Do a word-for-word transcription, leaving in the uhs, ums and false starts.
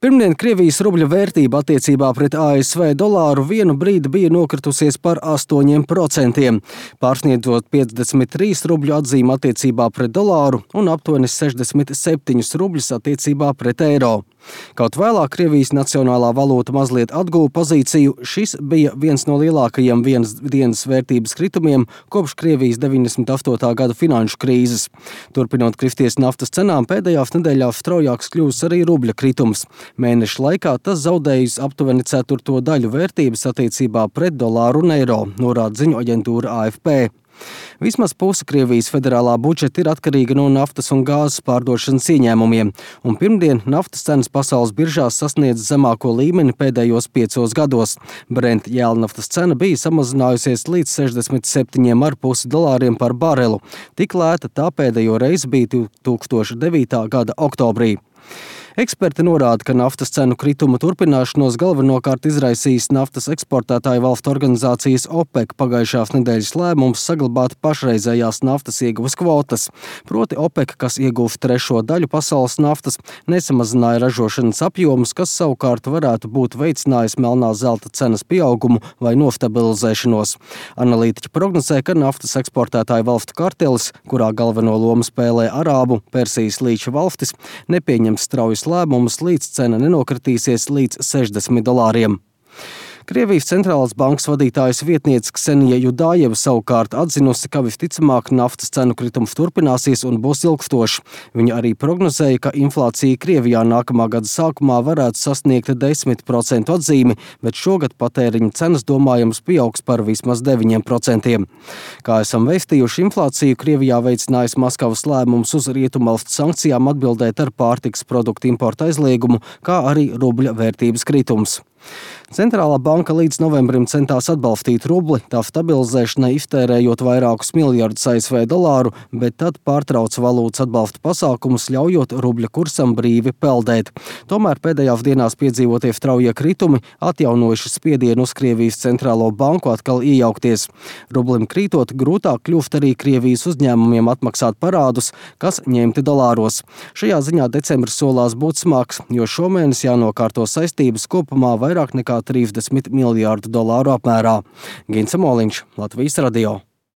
Pirmdien Krievijas rubļa vērtība attiecībā pret A S V dolāru vienu brīdi bija nokritusies par astoņiem procentiem, pārsniedzot piecdesmit trīs rubļu atzīmi attiecībā pret dolāru un aptuveni sešdesmit septiņus rubļus attiecībā pret eiro. Kaut vēlāk Krievijas nacionālā valūta mazliet atguva pozīciju, šis bija viens no lielākajiem vienas dienas vērtības kritumiem kopš Krievijas deviņdesmit astotā gada finanšu krīzes. Turpinot kristies naftas cenām, pēdējās nedēļās straujāks kļuvis arī rubļa kritums. Mēneša laikā tas zaudējis aptuveni ceturto daļu vērtības attiecībā pret dolāru un eiro, norāda ziņu aģentūra A F P. Vismaz puse Krievijas federālā budžeta ir atkarīga no naftas un gāzes pārdošanas ieņēmumiem, un pirmdien naftas cenas pasaules biržās sasniedz zemāko līmeni pēdējos piecos gados. Brent jēlnaftas cena bija samazinājusies līdz sešdesmit septiņiem ar pusi dolāriem par barelu. Tik lēta tā pēdējo reizi bija divi tūkstoši devītā gada oktobrī. Eksperti norāda, ka naftas cenu krituma turpināšanos galvenokārt izraisījis naftas eksportētāju valstu organizācijas OPEC pagājušās nedēļas lēmums saglabāt pašreizējās naftas ieguves kvotas. Proti OPEC, kas ieguva trešo daļu pasaules naftas, nesamazināja ražošanas apjomus, kas savukārt varētu būt veicinājis melnā zelta cenas pieaugumu vai nostabilizēšanos. Analītiķi prognozē, ka naftas eksportētāju valstu kartelis, kurā galveno lomu spēlē Arābu, Persijas līča valstis, nepieņems straujas lēmumus, līdz cena nenokritīsies līdz sešdesmit dolāriem. Krievijas centrālās bankas vadītājas vietniece Ksenija Judājeva savukārt atzinusi, ka visticamāk naftas cenu kritums turpināsies un būs ilgstošs. Viņa arī prognozēja, ka inflācija Krievijā nākamā gada sākumā varētu sasniegt desmit procentu atzīmi, bet šogad patēriņa cenas domājams pieaugs par vismaz deviņiem procentiem. Kā esam vēstījuši, inflāciju Krievijā veicinājis Maskavas lēmums uz rietumvalstu sankcijām atbildēt ar pārtikas produktu importa aizliegumu, kā arī rubļa vērtības kritums. Centrālā banka līdz novembrim centās atbalstīt rubli, tā stabilizēšanai iztērējot vairākus miljardus A S V dolāru, bet tad pārtrauca valūtas atbalsta pasākumus, ļaujot rubļa kursam brīvi peldēt. Tomēr pēdējās dienās piedzīvotie straujie kritumi atjaunojuši spiedienu uz Krievijas centrālo banku atkal iejaukties. Rublim krītot, grūtāk kļūst arī Krievijas uzņēmumiem atmaksāt parādus, kas ņemti dolāros. Šajā ziņā decembris solās būt smags, jo šomēnes jānokārto saistības kopumā vairāk nekā trīsdesmit miljārdu dolāru apmērā. Gins Moliņš, Latvijas radio.